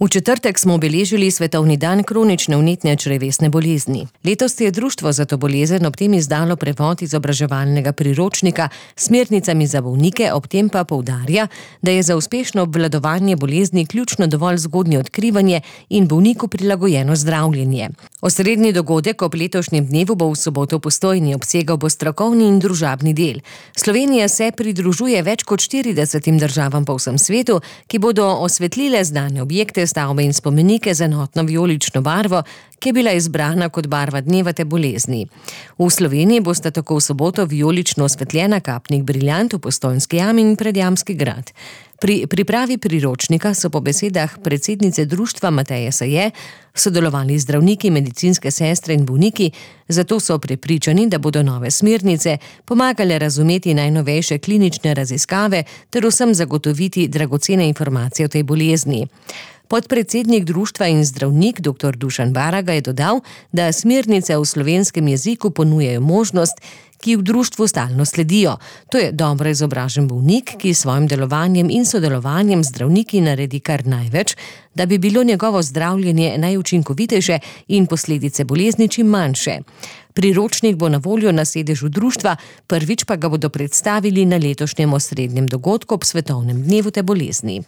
V četrtek smo obeležili Svetovni dan kronične vnetne črevesne bolezni. Letos je Društvo za to bolezen ob tem izdalo prevod izobraževalnega priročnika s smernicami za bolnike, ob tem pa poudarja, da je za uspešno obvladovanje bolezni ključno dovolj zgodnje odkrivanje in bolniku prilagojeno zdravljenje. Osrednji dogodek ob letošnjem dnevu bo v soboto v Postojni, obsegal bo strokovni in družabni del. Slovenija se pridružuje več kot 40 državam po vsem svetu, ki bodo osvetlile znane objekte, stavbe in spomenike z enotno vijolično barvo, ki je bila izbrana kot barva dneva te bolezni. V Sloveniji bosta tako v soboto vijolično osvetljena Kapnik Briljant v Postojnski jami in Predjamski grad. Pri pripravi priročnika so po besedah predsednice društva Mateje Saje sodelovali zdravniki, medicinske sestre in bolniki, zato so prepričani, da bodo nove smernice pomagale razumeti najnovejše klinične raziskave ter vsem zagotoviti dragocene informacije o tej bolezni. Podpredsednik društva in zdravnik dr. Dušan Baraga je dodal, da smernice v slovenskem jeziku ponujajo možnost, ki v društvu stalno sledijo. To je dobro izobražen bolnik, ki s svojim delovanjem in sodelovanjem zdravniki naredi kar največ, da bi bilo njegovo zdravljenje najučinkovitejše in posledice bolezni čim manjše. Priročnik bo na voljo na sedežu društva, prvič pa ga bodo predstavili na letošnjem osrednjem dogodku ob Svetovnem dnevu te bolezni.